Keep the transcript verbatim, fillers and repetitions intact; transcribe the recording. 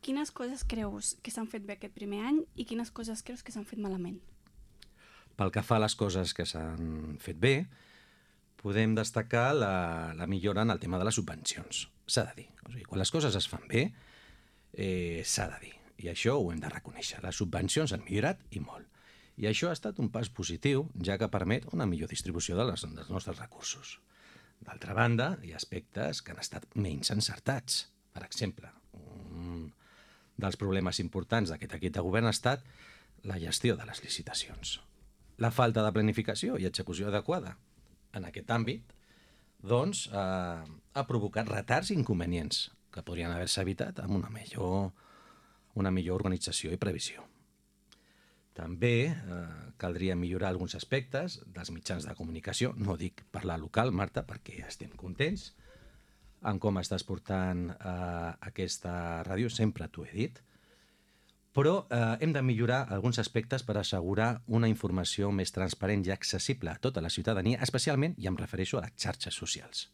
quines coses creus que s'han fet bé aquest primer any i quines coses creus que s'han fet malament? Pel que fa a les coses que s'han fet bé, podem destacar la, la millora en el tema de les subvencions. S'ha de dir. O sigui, quan les coses es fan bé, eh, s'ha de dir. I això ho hem de reconèixer. Les subvencions han millorat i molt. I això ha estat un pas positiu, ja que permet una millor distribució de les, dels nostres recursos. D'altra banda, hi ha aspectes que han estat menys encertats. Per exemple, un dels problemes importants d'aquest equip de govern ha estat la gestió de les licitacions. La falta de planificació i execució adequada en aquest àmbit doncs, eh, ha provocat retards i inconvenients que podrien haver-se evitat amb una millor, una millor organització i previsió. També eh, caldria millorar alguns aspectes dels mitjans de comunicació. No dic parlar local, Marta, perquè estem contents en com estàs portant eh, aquesta ràdio, sempre t'ho he dit, però eh, hem de millorar alguns aspectes per assegurar una informació més transparent i accessible a tota la ciutadania, especialment, i em refereixo a les xarxes socials.